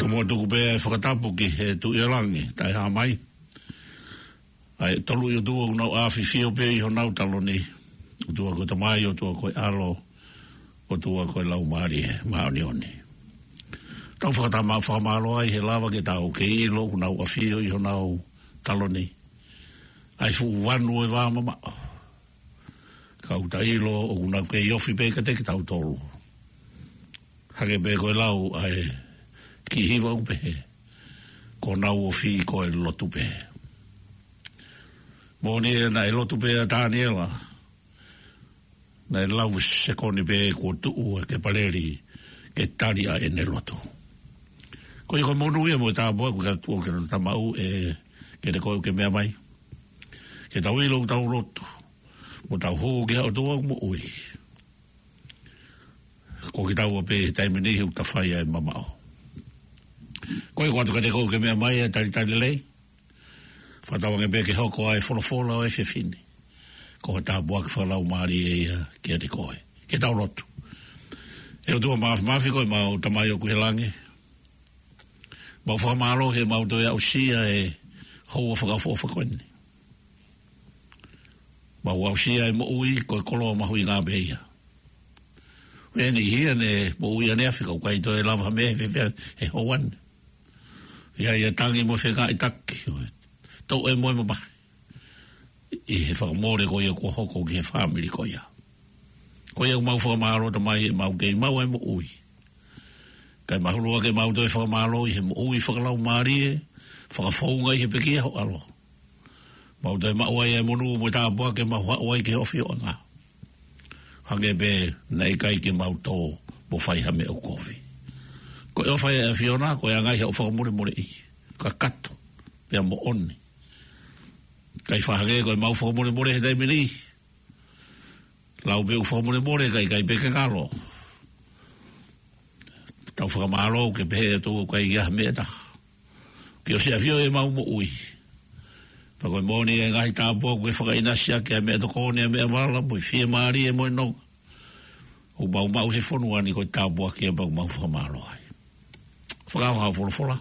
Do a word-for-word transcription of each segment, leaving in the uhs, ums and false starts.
Mou tuku pē ʻa e fakatapu ki he Tuʻi ʻo Langi, Taʻehāmai. ʻA e tolu ʻi ʻOtua ʻoku nau ʻafifio pē ʻi honau taloni. ʻOtua ko e Tamai, ʻOtua ko e ʻAlo, ʻOtua ko e Laumālie Māʻoniʻoni. Tau fakatama-, fakamālō ai he lava ke tau kei ʻilo ʻoku nau ʻafio ʻi honau taloni ʻa e fuʻu vanu ʻo e vā mamaʻo. Ka ʻoku tau ʻilo ʻoku nau kei ofi pē kiate kitautolu. Hangē pē ko e lau ʻa e kiʻi hiva ʻoku pehē, ko honau ofi ko e lotu pē. Moʻoni ē, naʻe lotu pē ʻa Taniela, naʻe lau sekoni pē kuo tuʻu ʻa Kepaleli ke tali ʻa ʻene lotu. Ko ia ko e monū ia mo e tāpuaki ʻoku ke tuʻu ke tau maʻu ē, kiate koe ʻoku ke meʻa mai. Ke tau ʻilo ʻoku tau lotu mo tau hū ki he ʻOtua ʻoku moʻui. Ko kitaua pē he taimi ni ʻoku ta fai ai e mamaʻo. Ko ia ʻoku ʻoatu kiate koe ʻoku ke meʻa mai ʻa e talitali lelei. Fakatauange pē ke hoko ʻa e folofola ʻo e efiafi ni ko ha tāpuaki fakalaumālie ia kiate koe. Ke tau lotu. ʻE ʻOtua Māfimafi, ko ʻemau Tamai ʻoku ʻi he langi, mau fakamālō he mau toe aʻusia e houa fakaʻofoʻofa ko eni. Mau aʻusia e moʻui ko e koloa mahuʻinga pē ia. Ko e niʻihi ia ne moʻui ʻaneafi ka ʻoku ʻikai toe lava ha meʻa he fefea he houa ni. ʻI ai ʻa e tangi mo e fengaiʻitaki, ʻo e toʻe mo e mamahi ʻi he fakamole ko ia kuo hoko ki he fāmili ko ia. Ko ia ʻoku mau fakamālō Tamai he mau kei maʻu ʻa e moʻui. Kae mahulu ange ke mau toe fakamālō ʻi he moʻui fakalaumālie, fakafounga ʻi he pekia ho ʻAlo. Mau toe maʻu ai e monū mo e tāpuaki ke mau haʻu ai ki he ʻofioʻanga. Hangē pē naʻe ʻikai ke mau tō mo fai ha meʻa ʻoku kovi. Ko e ʻofa ia ʻa e ʻAfiona, ko e anga ia ʻo e fakamolemoleʻi. Kakato, pea moʻoni. ʻIkai fakahangē ko ʻemau fakamolemole he taimi ni. Lau pē ʻoku fakamolemole, kae ʻikai pē ke ngalo. Tau fakamālō ke pehē atu ʻoku ʻikai ha meʻa ʻe taha. Ke ʻosi ʻafio ʻi heʻemau moʻui. Pea ko e moʻoni e ngaahi tāpuaki ʻoku ke fakaʻinasi ʻaki ʻa e meʻatokoni, ʻa e meʻavala, mo e fiemālie, mo e nonga ʻoku mau maʻu he fonua ni, ko e tāpuaki ia pea ʻoku mau fakamālō ai. Fakaʻaonga ʻo e folofola.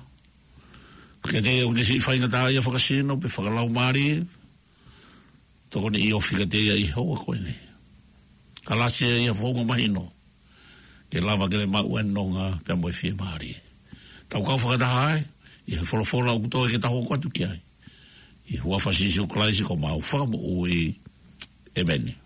Kiate ia ʻoku ne siʻi faingataʻaʻia fakasino pe fakalaumālie, tokoni ʻi he ofi kiate ia ʻi he houa ko eni. Kalasi ia ʻi ha founga mahino ke lava ke ne maʻu e nonga pea mo e fiemālie. Tau kau fakataha ai ʻi he folofola ʻoku toe ke tau hoko atu ki ai. ʻI he huafa ʻo Sīsū Kalaisi ko homau Fakamoʻui. ʻĒmeni.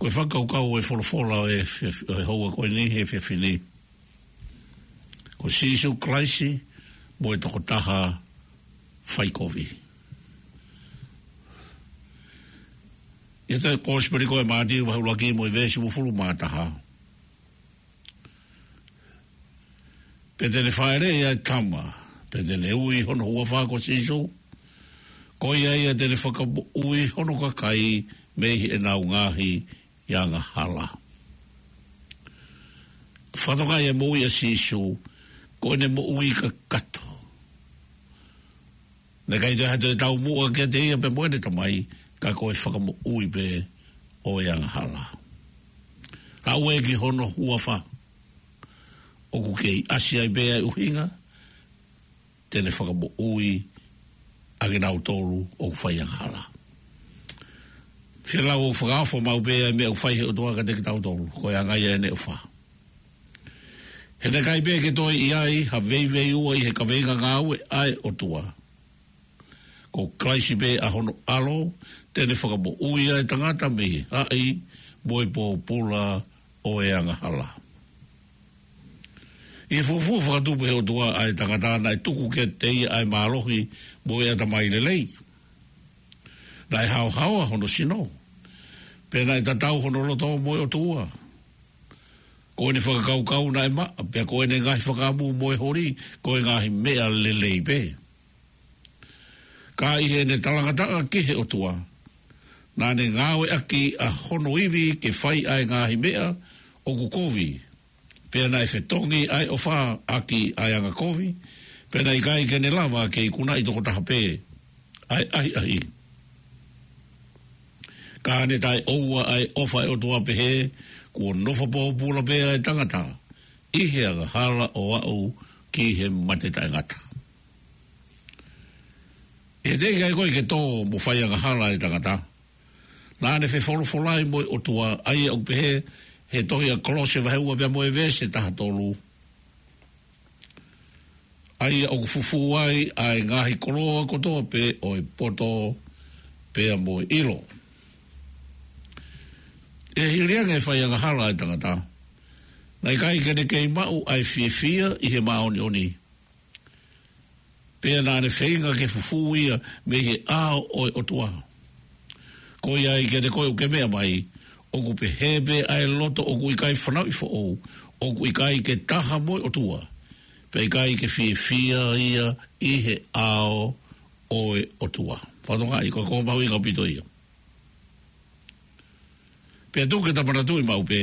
Ko e fakakaukau ʻo e folofola ʻo e, ʻo e houa ko eni he efiafi ni, ko Sīsū Kalaisi mo e tokotaha faikovi. ʻI he Kosipeli ko ē ʻa Mātiu vahe ʻuluaki mo e veesi uofulu mā taha. Pea te ne fāʻeleʻi ʻa e tama, pea te ne ui hono huafa ko Sīsū. Ko ia ia te ne fakamoʻui hono kakai mei heʻenau ngaahi angahala. Fakatokangaʻi e moʻui ʻa Sīsū, ko ʻene moʻui kakato. Naʻe ʻikai toe ha toe taumuʻa kiate ia pea mo ʻene Tamai, ka ko e fakamoʻui pē ʻo e angahala. Haʻu ē ki hono huafa. ʻOku kei ʻasi ai pē ʻa e ʻuhinga, te ne fakamoʻui ʻa kinautolu ʻoku fai angahala. Fielau ʻoku fakaofo maʻu pē ʻa e meʻa ʻoku fai he ʻOtua kiate kitautolu, ko e anga ia ʻene ʻofa. He naʻe ʻikai pē ke toe ʻi ai ha veiveiua ʻi he kaveinga ngāue ʻa e ʻOtua. Ko Kalaisi pē ʻa hono ʻAlo, te ne fakamoʻui ʻa e tangata mei he haʻi mo e pōpula ʻo e angahala. ʻI he fuofua fakatupu ʻe he ʻOtua ʻa e tangata, naʻe tuku kiate ia ʻa e mālohi mo e ʻatamai lelei. Naʻe haohaoa hono sino, pea naʻe tatau hono loto mo e ʻOtua. Ko ʻene fakakaukau naʻe maʻa, pea ko ʻene ngaahi fakaʻamu mo e holi, ko e ngaahi meʻa lelei pē. Ka ʻi heʻene talangataʻa ki he ʻOtua, naʻa ne ngāueʻaki ʻa hono ivi ke fai ʻa e ngaahi meʻa ʻoku kovi, pea naʻe fetongi ʻa e ʻofa ʻaki ʻa e angakovi, pea naʻe ʻikai ke ne lava ke ikunaʻi toko taha pē ʻa e ʻahiʻahi. Ka ne taʻeʻoua ʻa e ʻofa ʻa e ʻOtua, pehē kuo nofo pōpula pē ʻa e tangata ʻi he angahala ʻo aʻu ki he mate taʻengata. ʻI he teʻeki ai ko ē ke tō mo fai angahala ʻa e tangata, naʻa ne fefolofolai mo e ʻOtua, ʻa ia ʻoku pehē he tohi ʻa Kolose vahe ua pea mo e veesi taha tolu, ʻa ia ʻoku fufū ai ʻa e ngaahi koloa kotoa pē ʻo e poto pea mo e ʻilo. ʻI he hili ange e fai angahala ʻa e tangata, naʻe ʻikai ke ne kei maʻu ʻa e fiefia ʻi he māʻoniʻoni, pea naʻa ne feinga ke fufū ia mei he ʻao ʻo e ʻOtua. Ko ia ai kiate koe ʻoku ke meʻa mai, ʻoku pehē pē ʻa e loto ʻoku ʻikai fanauʻi foʻou, ʻoku ʻikai ke taha mo e ʻOtua, pea ʻikai ke fiefia ia ʻi he ʻao ʻo e ʻOtua. Fakatokangaʻi, ko e konga mahuʻinga ʻaupito ia. Pea tuku ke ta manatuʻi maʻu pē,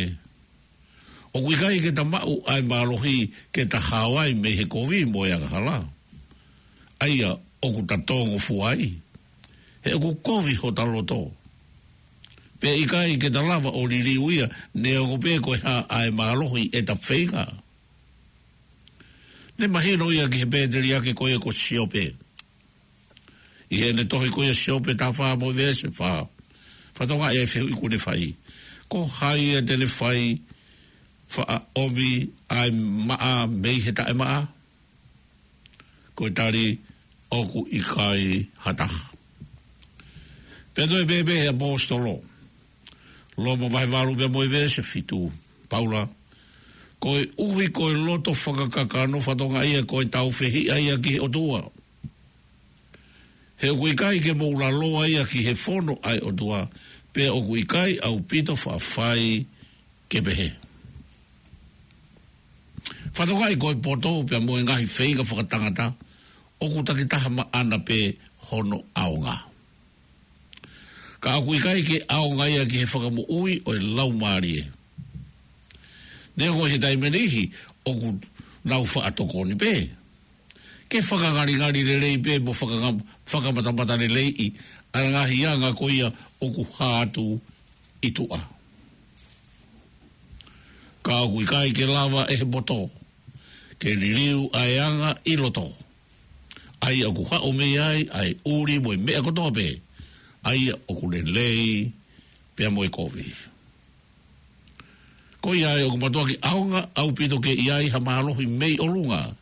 ʻoku ʻikai ke ta maʻu ʻa e mālohi ke ta hao ai mei he kovi mo e angahala, ʻa ia ʻoku ta tōngofua ai, he ʻoku kovi hota loto. Pea ʻikai ke ta lava ʻo liliu ia, neongo pē ko e hā ʻa e mālohi ʻe ta feinga. Ne mahino ia ki he pēteliake ko ia ko Siope. ʻI heʻene tohi ko ia Siope taha fā mo e veesi fā, fakatokangaʻi ʻa e fehuʻi kuo ne fai. Ko hai ia te ne fai faʻa ʻomi ʻa e maʻa mei he taʻemaʻa? Ko e tali, ʻoku ʻikai ha taha. Pea toe pehē pē ʻe he ʻaposetolo, Loma vahe valu pea mo e veesi fitu, Paula, koeʻuhi ko e loto fakakakano, fakatokangaʻi ia ko e taufehiʻa ia ki he ʻOtua. He ʻoku ʻikai ke mou laloa ia ki he fono ʻa e ʻOtua, pea ʻoku ʻikai ʻaupito faʻa fai ke pehē. Fakatokangaʻi ko e poto pea mo e ngaahi feinga fakatangata, ʻoku takitaha maʻana pē hono ʻaonga. Ka ʻoku ʻikai ke ʻaonga ia ki he fakamoʻui ʻo e laumālie. Neongo ʻi he taimi ʻe niʻihi ʻoku nau faʻa tokoni pē ke fakangalingali lelei pē mo fakanga-, fakamatamata leleiʻi ʻa e ngaahi anga ko ia ʻoku hā atu ʻi tuʻa. Ka ʻoku ʻikai ke lava ʻe he poto ke liliu ʻa e anga ʻi loto, ʻa ia ʻoku haʻu mei ai ʻa e ʻuli mo e meʻa kotoa pē, ʻa ia ʻoku lelei pea mo e kovi. Ko ia ai ʻoku mātuʻaki ʻaonga ʻaupito ke ʻi ai ha mālohi mei ʻolunga,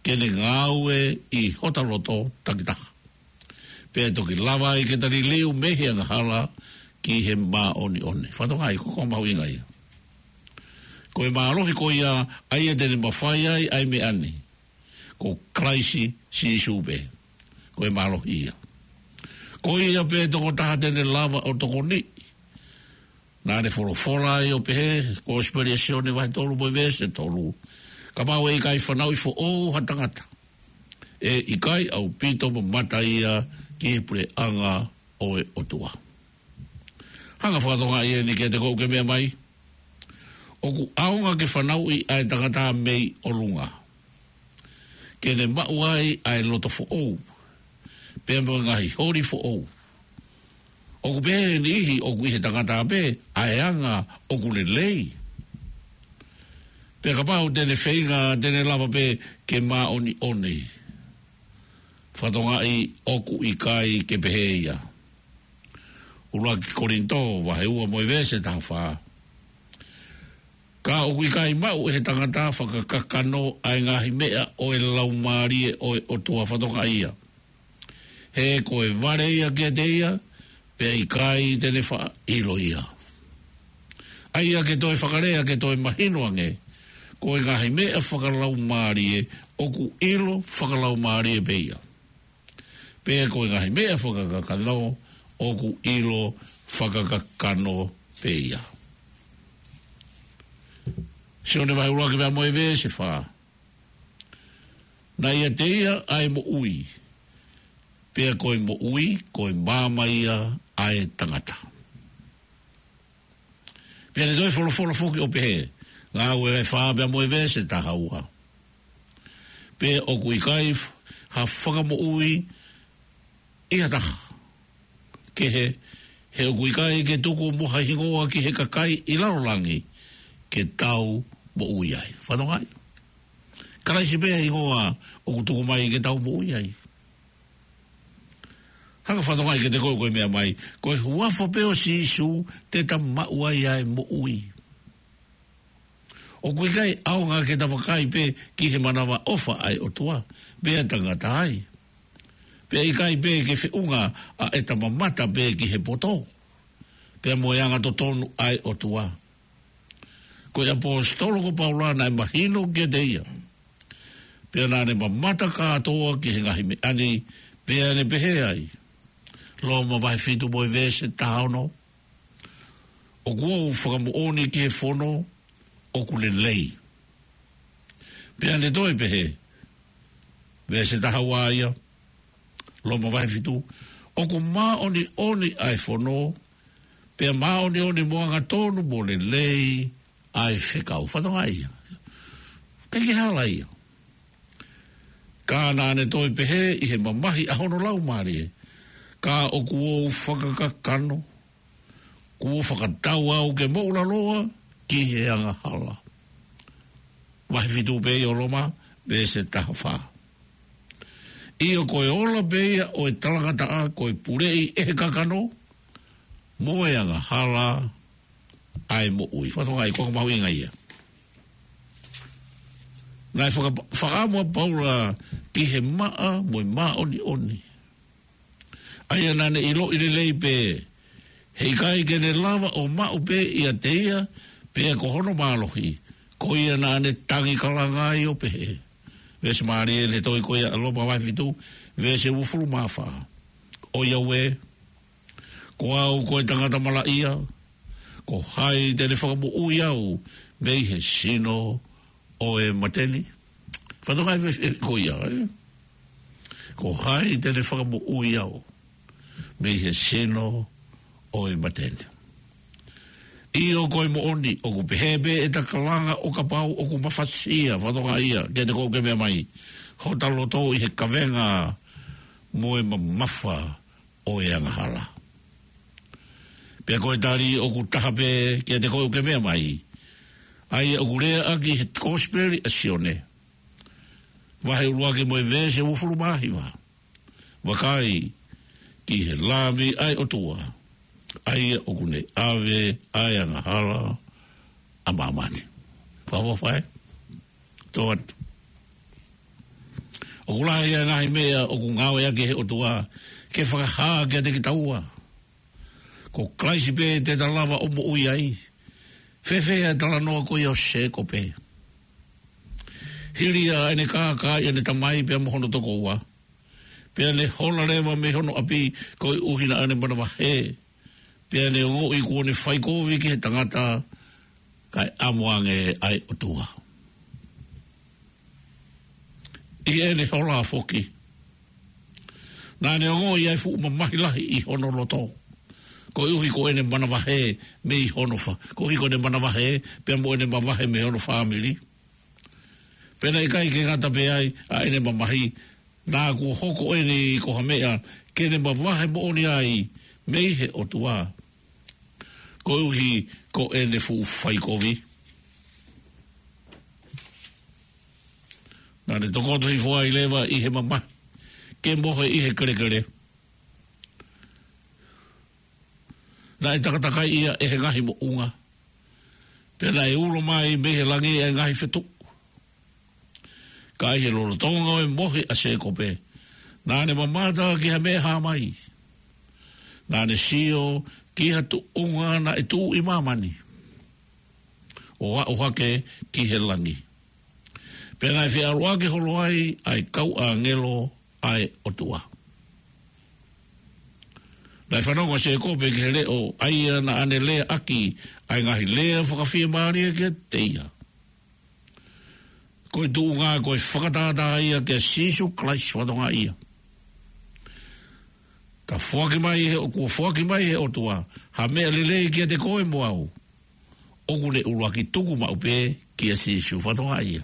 ke ne ngāue ʻi hota loto takitaha. Pea toki lava ai ke ta liliu mei he angahala, ki he māʻoniʻoni. Fakatokangaʻi, ko e konga mahuʻinga ia. Ko e mālohi ko ia, ʻa ia te ne mafai ai ʻa e meʻa ni, ko Kalaisi Sīsū pē. Ko e mālohi ia. Ko ia pē tokotaha te ne lava ʻo tokoniʻi. Naʻa ne folofola ai ʻo pehē, Kosipeli ʻa Sione vahe tolu mo e veesi tolu. Kapau ʻe ʻikai fanauʻi foʻou ha tangata, ʻe ʻikai ʻaupito mamata ia ki he puleʻanga ʻo e ʻOtua. Hanga ʻo fakatokangaʻi eni kiate koe ʻoku ke meʻa mai. ʻOku ʻaonga ke fanauʻi ʻa e tangata mei ʻolunga, ke ne maʻu ai ʻa e loto foʻou, pea mo e ngaahi holi foʻou. ʻOku pehē ʻe niʻihi ʻoku ʻi he tangata pē ʻa e anga ʻoku lelei. Pea kapau te ne feinga te ne lava pē ke māʻoniʻoni. Fakatokangaʻi, ʻoku ʻikai ke pehē ia. ʻUluaki Kolinitō, vahe ua mo e veesi taha fā. Ka ʻoku ʻikai maʻu ʻe he tangata fakakakano ʻa e ngaahi meʻa ʻo e Laumālie ʻo e ʻOtua, fakatokangaʻi ia. He ko e vale ia kiate ia, pea ʻikai te ne faʻa ʻilo ia. ʻA ia ke toe fakalea, ke toe mahino ange, ko e ngaahi meʻa fakalaumālie, ʻoku ʻilo fakalaumālie pē ia. Pea ko e ngaahi meʻa fakakakano, ʻoku ʻilo fakakakano pē ia. Sione vahe ʻuluaki pea mo e veesi fā. Naʻe ʻiate ia ʻa e moʻui. Pea ko e moʻui, ko e maama ia ʻa e tangata. Pea ne toe folofola foki ʻo pehē, Ngāue vahe fā pea mo e veesi taha ua. Pea ʻoku ʻikai f-, ha fakamoʻui ʻi ha taha kehe, he ʻoku ʻikai ke tuku mo ha hingoa ki he kakai ʻi lalo langi ke tau moʻui ai. Fakatokangaʻi. Kalaisi pē hingoa ʻoku tuku mai ke tau moʻui ai. Hanga ʻo fakatokangaʻi kiate koe ʻoku ke meʻa mai, ko e huafa pē ʻo Sīsū te ta maʻu ai ʻa e moʻui. ʻOku ʻikai ʻaonga ke ta vakai pē ki he manavaʻofa ʻa e ʻOtua, pea ta ngata ai. Pea ʻikai pē ke feʻunga ʻa ʻeta mamata pē ki he poto, pea mo e anga totonu ʻa e ʻOtua. Ko e ʻaposetolo ko Paula naʻe mahino kiate ia. Pea naʻa ne mamata kātoa ki he ngaahi meʻa ni, pea ne pehē ai. Loma vahe fitu mo e veesi taha ono. ʻOku ou fakamoʻoni ki he fono ʻoku lelei. Pea ne toe pehē, veesi taha ua ia, Loma vahe fitu, ʻoku māʻoniʻoni ʻa e fono, pea māʻoniʻoni mo angatonu mo lelei ʻa e fekau. Fakatokangaʻi ia. ʻIkai ke hala ia. Ka naʻa ne toe pehē ʻi he mamahi ʻa hono Laumālie, ka ʻoku ou fakakakano, kuo fakatau au ke moʻulaloa ki he angahala. Vahe fitu pē ia ʻo Loma, veesi taha fā. ʻIo, ko e ola pē ia ʻo e talangataʻa, ko e puleʻi ʻe he kakano, mo e angahala ʻa e moʻui. Fakatokangaʻi, ko e konga mahuʻinga ia. Naʻe faka-, fakaʻamu ʻa Paula ki he maʻa mo e māʻoniʻoni. ʻA ia naʻa ne ʻiloʻi lelei pē, he ʻikai ke ne lava ʻo maʻu pē ʻiate ia, pea ko hono mālohi, ko ia naʻa ne tangi kalanga ai ʻo pehē. Veesi mālie ʻeni ʻe toe ko ia, Loma vahe fitu, veesi uofulu mā fā. ʻOiauē, ko au ko e tangata malaʻia, ko hai te ne fakamoʻui au mei he sino ʻo e mate ni? Fakatokangaʻi veesi ko ia, ē? Ko hai te ne fakamoʻui au mei he sino ʻo e mate ni? ʻIo, ko e moʻoni, ʻoku pehē pē ʻeta kalanga ʻo kapau ʻoku mafasia, fakatokangaʻi ia, kiate koe ʻoku ke meʻa mai, hota loto ʻi he kavenga mo e mamafa ʻo e angahala. Pea ko e tali ʻoku taha pē kiate koe ʻoku ke meʻa mai, ʻa ia ʻoku lea ʻaki he Kosipeli ʻa Sione, vahe ʻuluaki mo e veesi uofulu mā hiva. Vakai ki he Lami ʻa e ʻOtua, ʻa ia ʻoku ne ʻave ʻa e angahala ʻa māmani. Fakaʻofoʻofa ē? Tō atu. ʻOku lahi ʻa e ngaahi meʻa ʻoku ngāueʻaki ʻe he ʻOtua ke fakahā kiate kitaua. Ko Kalaisi pē te ta lava ʻo moʻui ai. Fēfē ʻa e talanoa ko ia ʻo Sēkope? Hili ia ʻene kākaaʻi ʻene tamai pea mo hono tokoua, pea ne hola leva mei hono ʻapi koeʻuhi naʻa ne manavahē, pea ne ongoʻi kuo ne fai kovi ki he tangata, kae ʻamo ange ʻa e ʻOtua. ʻI heʻene hola foki, naʻa ne ongoʻi ʻa e fuʻu mamahi lahi ʻi hono loto, koeʻuhi ko ʻene manavahē mei hono fa-, koeʻuhi ko ʻene manavahē, pea mo ʻene mavahe mei hono fāmili. Pea naʻe ʻikai ke ngata pē ai ʻa ʻene mamahi, naʻa kuo hoko eni ko ha meʻa ke ne mavahe moʻoni ai mei he ʻOtua, koeʻuhi ko ʻene fuʻu fai kovi. Naʻa ne tokoto hifo ai leva ʻi he mamahi, ke mohe ʻi he kelekele. Naʻe takatakai ia ʻe he ngaahi moʻunga, pea naʻe ulo mai mei he langi ʻa e ngaahi fetuʻu. Ka ʻi he lolotonga ʻo e mohe ʻa Sēkope, naʻa ne mamata ki ha meʻa hā mai. Naʻa ne sio ki ha tuʻunga naʻe tuʻu ʻi māmani, ʻo aʻu hake ki he langi. Pea naʻe feʻaluʻaki holo ai ʻa e kau ʻāngelo ʻa e ʻOtua. Naʻe fanongo ʻa Sēkope ki he leʻo ʻa ia naʻa ne leaʻaki ʻa e ngaahi lea fakafiemālie kiate ia. Ko e tuʻunga ko e fakatātā ia kia Sīsū Kalaisi fatongia ia. Ka foaki mai he, kuo foaki mai he ʻOtua ha meʻa lelei kiate koe mo au, ʻoku ne ʻuluaki tuku maʻu pē kia Sīsū fatongia ia.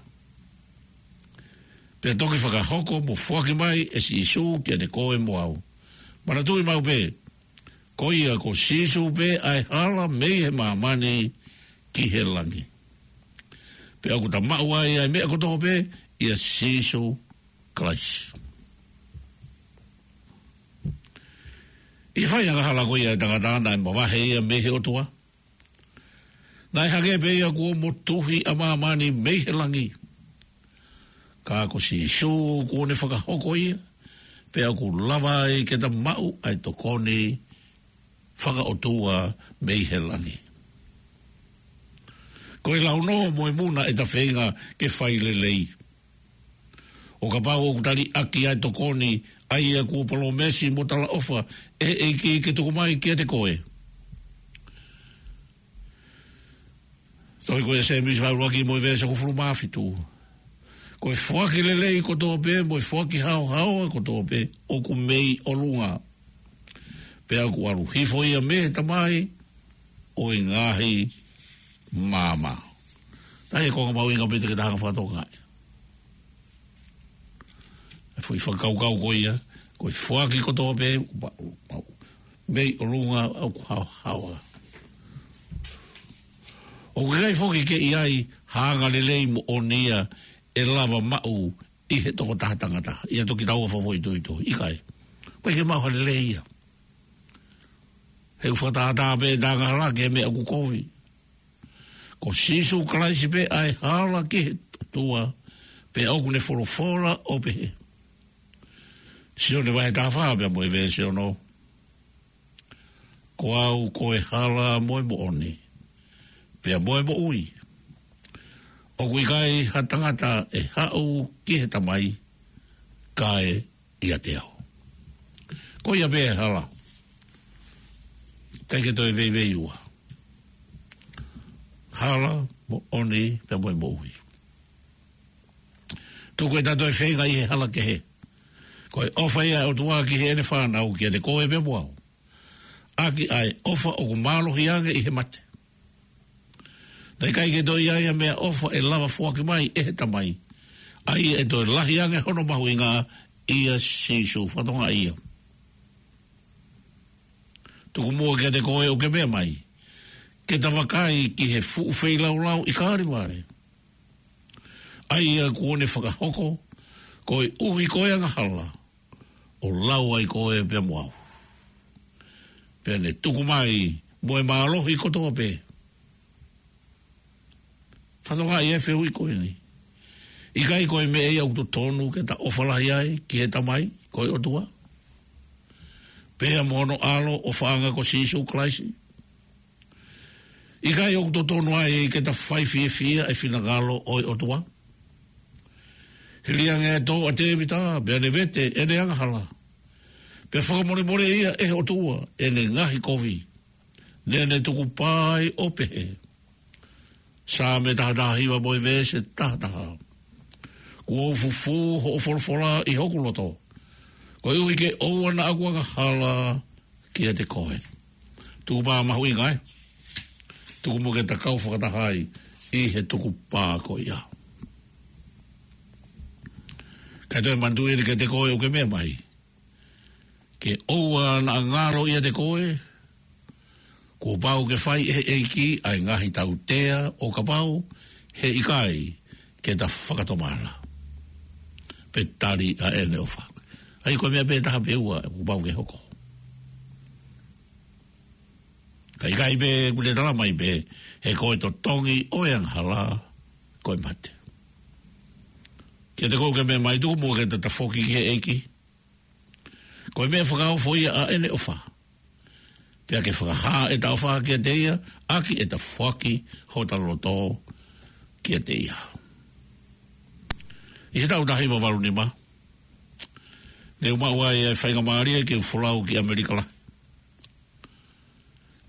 Pea toki fakahoko mo foaki mai ʻe Sīsū kiate koe mo au. Manatuʻi maʻu pē, ko ia ko Sīsū pē ʻa e hala mei he māmani ki he langi. Pea ʻoku ta maʻu ai ʻa e meʻa kotoa pē ʻia Sīsū Kalaisi. ʻI he fai angahala ko ia ʻa e tangata, naʻe mavahe ia mei he ʻOtua. Naʻe hangē pē ia kuo motuhi ʻa māmani mei he langi. Ka ko Sīsū kuo ne fakahoko ia, pea ʻoku lava ai ke ta maʻu ʻa e tokoni fakaʻotua mei he langi. Ko e launō mo e muna ʻe ta feinga ke fai lelei. ʻO kapau ʻoku ta liʻaki ʻa e tokoni ʻa ia kuo palōmesi mo talaʻofa ʻe he ʻEiki ke tuku mai kiate koe. Tohi ko ia Sēmisi vahe ʻuluaki mo e veesi hongofulu mā fitu. Ko e foaki lelei kotoa pē, mo e foaki haohaoa kotoa pē, ʻoku mei ʻolunga. Pea ʻoku ʻalu hifo ia mei he Tamai ʻo e ngaahi maama. Tahi ko e konga mahuʻinga pē te ke tahanga fakatokangaʻi. ʻA e foʻi fakakaukau ko ia, ko e foaki kotoa pē, ʻoku ma-, ma-, mei ʻolunga ʻoku haohaoa. ʻOku ʻikai foki ke ʻi ai ha anga lelei moʻoni ia ʻe lava maʻu ʻi he tokotaha tangata. ʻIa toki taua fafo ʻi tuʻituʻi. ʻIkai. ʻOku ʻikai ke maʻu ha lelei ia. He ʻoku fakatātā pē ʻeta angahala ki he meʻa ʻoku kovi. Ko Sīsū Kalaisi pē ʻa e hala ki he ʻOtua, pea ʻoku ne folofola ʻo pehē. Sione vahe taha fā pea mo e veesi ono. Ko au ko e hala mo e moʻoni, pea mo e moʻui. ʻOku ʻikai ha tangata ʻe haʻu ki he Tamai, kae ʻiate au. Ko ia pē hala. ʻIkai ke toe veiveiua. Hala, moʻoni, pea mo e moʻui. Tuku ʻeta toe feinga ʻi he hala kehe. Ko e ʻofa ia ʻa e ʻOtua ki heʻene fānau kiate koe pea mo au. ʻAki ʻa e ʻofa ʻoku mālohi ange ʻi he mate. Naʻe ʻikai ke toe ʻi ai ha meʻaʻofa ʻe lava foaki mai ʻe he Tamai, ʻa ia ʻe toe lahi ange hono mahuʻinga ʻia Sīsū fatongia ia. Tuku muʻa kiate koe ʻoku ke meʻa mai, ke ta vakai ki he fuʻu feilaulau ʻi Kalevale. ʻA ia kuo ne fakahoko, koeʻuhi ko e angahala, ʻo lau ai koe pea mo au. Pea ne tuku mai mo e mālohi kotoa pē. Fatongia ia e fehuʻi ko eni. ʻIkai ko e meʻa ia ʻoku totonu ke ta ʻofa lahi ai ki he Tamai, ko e ʻOtua? pea mo hono ʻAlo ʻofaʻanga ko Sīsū Kalaisi? ʻIkai ʻoku totonu ai ke ta fai fiefia e finangalo ʻo e ʻOtua? Hili ange ʻa e tō ʻa Tēvita, pea ne vete ʻene angahala, pea fakamolemoleʻi ia ʻe he ʻOtua ʻene ngaahi kovi, naʻa ne tukupā ai ʻo pehē. Saame taha taha hiva mo e veesi taha taha. Kuo u fufū hoʻo folofola ʻi hoku loto, koeʻuhi ke ʻoua naʻa ku angahala kiate koe. Tukupā mahuʻinga ē. Tuku muʻa ke ta kau fakataha ai ʻi he tukupā ko ia. Kae toe manatuʻi eni kiate koe ʻoku ke meʻa mai, ke ʻoua naʻa ngalo ʻiate koe, kuo pau ke fai ʻe he ʻEiki ʻa e ngaahi tautea ʻo kapau he ʻikai ke ta fakatomala pe tali ʻa ʻene ʻofa. ʻA ia ko e meʻa pē taha pe ua kuo pau ke hoko. Ka ʻikai pē, kuo ne tala mai pē, he ko e totongi ʻo e angahala ko e mate. Kiate koe ʻoku ke meʻa mai, tuku muʻa ke ta tafoki ki he ʻEiki. Ko e meʻa fakaofo ia ʻa ʻene ʻofa, pea ke fakahā ʻeta ʻofa kiate ia ʻaki ʻeta foaki hota loto kiate ia. ʻI he taʻu taha hiva valu nima, ne u maʻu ai e faingamālie ke u folau ki ʻAmelika Lahi.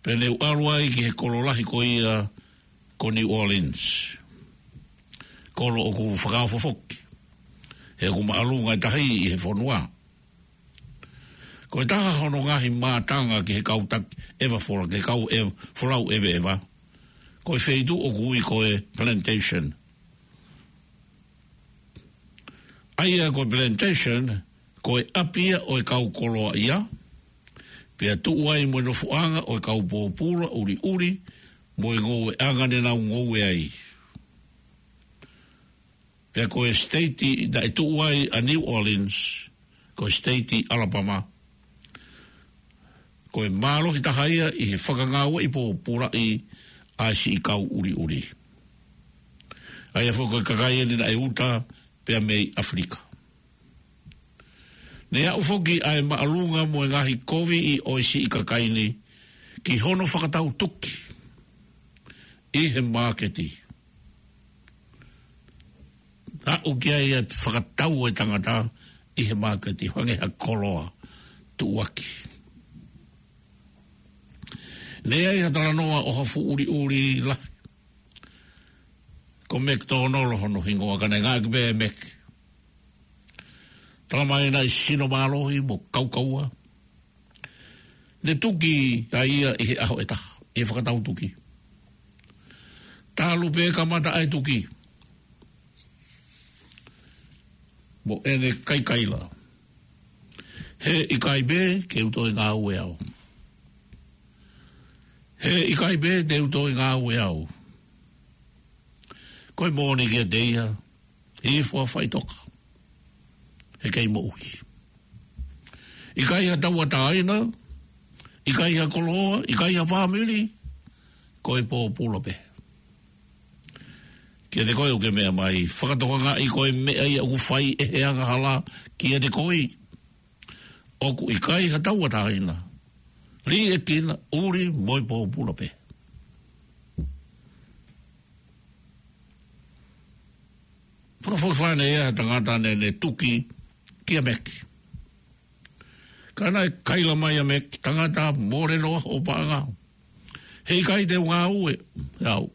Pea ne u ʻalu ai ki he kolo lahi ko ia ko New Orleans, kolo ʻoku fakaofo foki, he ʻoku māʻolunga e tahi ʻi he fonua. Ko e taha hono ngaahi mātanga ki he kau taki ʻeva fola, ki he kau ʻeva, folau ʻeveʻeva, ko e feituʻu ʻoku ui ko e plantation. ʻA ia ko e plantation, ko e ʻapi ia ʻo e kau koloaʻia, pea tuʻu ai mo e nofoʻanga ʻo e kau pōpula ʻuliʻuli, mo e ngoueʻanga ne nau ngoue ai. Pea ko e state naʻe tuʻu ai ʻa New Orleans, ko e state ʻAlapama, ko e mālohi taha ia ʻi he fakangāueʻi pōpulaʻi ʻa e siʻi kau ʻuliʻuli. ʻA ia foki ko e kakai eni naʻe uta pea mei ʻAfilika. Ne aʻu foki ʻa e māʻolunga mo e ngaahi kovi ʻo e siʻi kakai ni ki hono fakatau tuki ʻi he māketi. Aʻu ki ai ʻa e fakatau ʻo e tangata ʻi he māketi, hangē ha koloa tuʻuaki. Ne ʻi ai ha talanoa ʻo ha fuʻu ʻuliʻuli lahi, ko Meki Tōnolo hono hingoa, ka naʻe ngāueʻaki pē Meki. Tala mai naʻe sino mālohi mo kaukaua. Ne tuki ʻa ia ʻi he ʻaho ʻe taha, ʻi he fakatau tuki. Talu pē kamata ʻa e tuki, mo ʻene kaikaila: He ʻikai pē ke u toe ngāue au. He ʻikai pē te u toe ngāue au. Ko e moʻoni kiate ia, hifo ʻo faʻitoka, he kei moʻui. ʻIkai ha tauʻatāina, ʻikai ha koloa, ʻikai ha fāmili, ko e pōpula pē. Kiate koe ʻoku ke meʻa mai, fakatokangaʻi ko e meʻa ia ʻoku fai ʻe he angahala kiate koe. ʻOku ʻikai ha tauʻatāina, liʻekina, ʻuli mo e pōpula pē. Fakafokifā ʻe ha tangata ne, ne tuki kia Meki. Ka naʻe kaila mai ʻa Meki: Tangata, mole noa hoʻo paʻanga. He ʻikai te u ngāue au.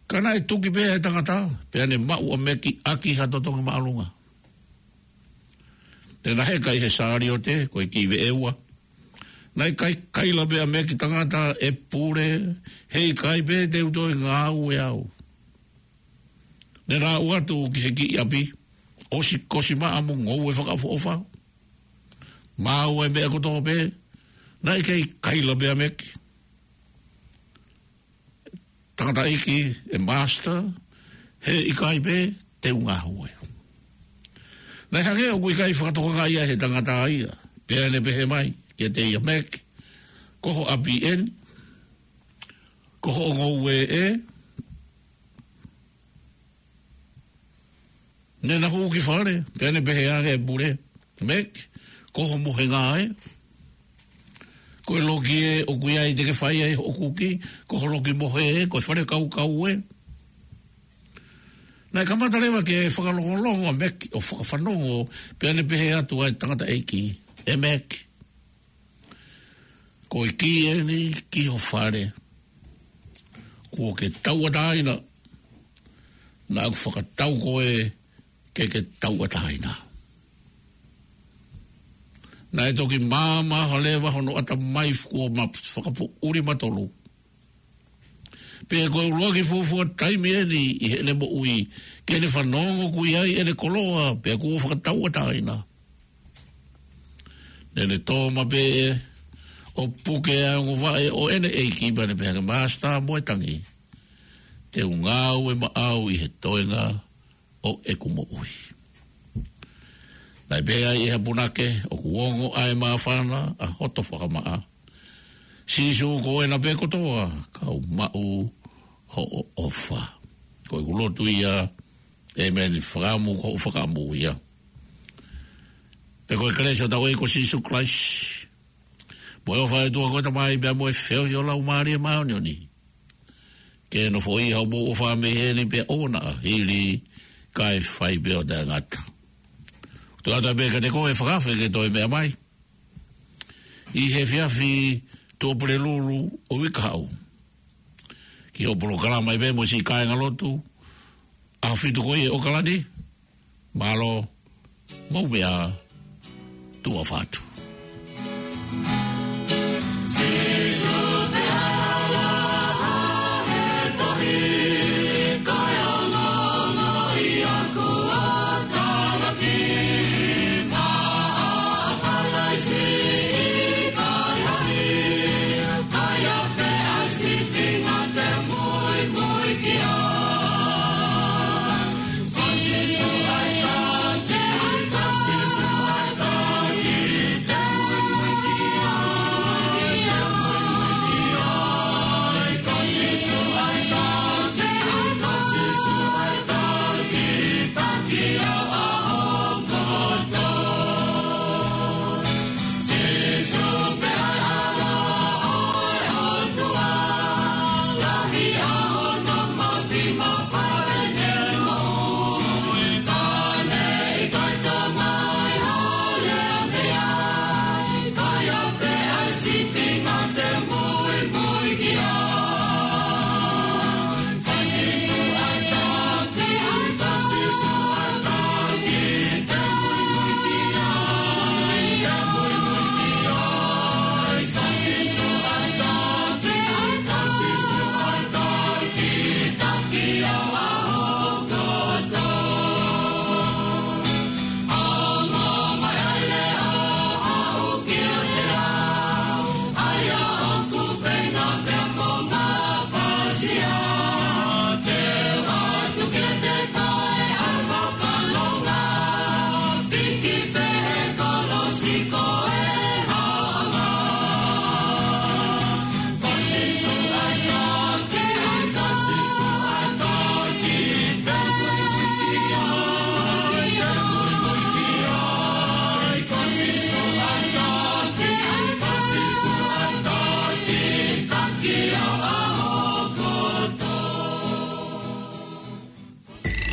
Ka naʻe tuki pē ʻa e tangata, pea ne maʻu ʻa Meki ʻaki ha totongi māʻolunga. Ne na heka ʻi he sāliote, ko e kiʻi veʻe ua. Naʻe kaikaila pē ʻa Meki: Tangata, ʻe pule, he ʻikai pē te u toe ngāue au. Ne na aʻu atu ki he kiʻi ʻapi, ʻosi kosi maʻa mo ngoue fakaʻofoʻofa, maʻu e meʻa kotoa pē. Naʻe kei kaila pē ʻa Meki: Tangataʻeiki, ʻe master, he ʻikai pē te u ngāue. Naʻe hangē ʻoku ʻikai fakatokangaʻi ia ʻe he tangata ia, pea ne pehē mai kiate ia: Meki, ko ho ʻapi eni, ko hoʻo ngoue ē. Ne na hū ki fale, pea ne pehē ange ʻa e pule: Meki, Ko ho mohenga ē. Ko e loki ē ʻoku ʻi ai te ke fai ai hoʻo kuki, ko ho loki mohe ē, ko e fale kaukau ē. Naʻe kamata leva ke fakalongolongo ʻa Meki ʻo fakafanongo, pea ne pehē atu ʻa e tangataʻeiki, ʻE Meki, ko e kī eni ki ho fale. Kuo ke tauʻatāina, naʻa ku fakatau koe ke ke tauʻatāina. Naʻe toki māmā hake leva hono ʻatamai kuo ma fakapoʻuli matolu. Pea ko e ʻuluaki fuofua taimi eni ʻi heʻene moʻui ke ne fanongo ʻoku ʻi ai ʻene koloa pea kuo fakatauʻatāina. Naʻa ne tō maʻu pē ʻo puke ʻa e ongo vaʻe ʻo ʻene ʻeiki pea ne pehē ange, Māsitā mo e Tangi, te u ngāue maʻau ʻi he toenga ʻo ʻeku moʻui. Naʻe pehē ai ʻe ha punake, ʻOku ongo ʻa e māfana ʻa hoto fakamaʻa. Sīsū, ko ena pē kotoa, kau maʻu hoʻo ʻofa. Ko ʻeku lotu ia, ʻēmeni, fakaʻamu, ko hoʻo fakaʻamu ia. Pea ko e kelesi ʻa hotau ʻEiki ko Sīsū Kalaisi, mo e ʻofa ʻa e ʻOtua ko e Tamai, pea mo e feohi ʻo e Laumālie Māʻoniʻoni, ke nofoʻia homou ʻofa mei heni pea ʻoua naʻa hili, kae fai pē ʻo taʻengata. Tuku atu pē kiate koe ʻa e fakaafe ke toe meʻa mai ʻi he efiafi Tuʻapulelulu ʻo e uike kahaʻu ki hoʻo polokalama ʻi pē mo e siʻi kāingalotu ʻAho Fitu ko ia ʻi ʻAokalani. Mālō, mou meʻa ā, tuʻa ʻofa atu.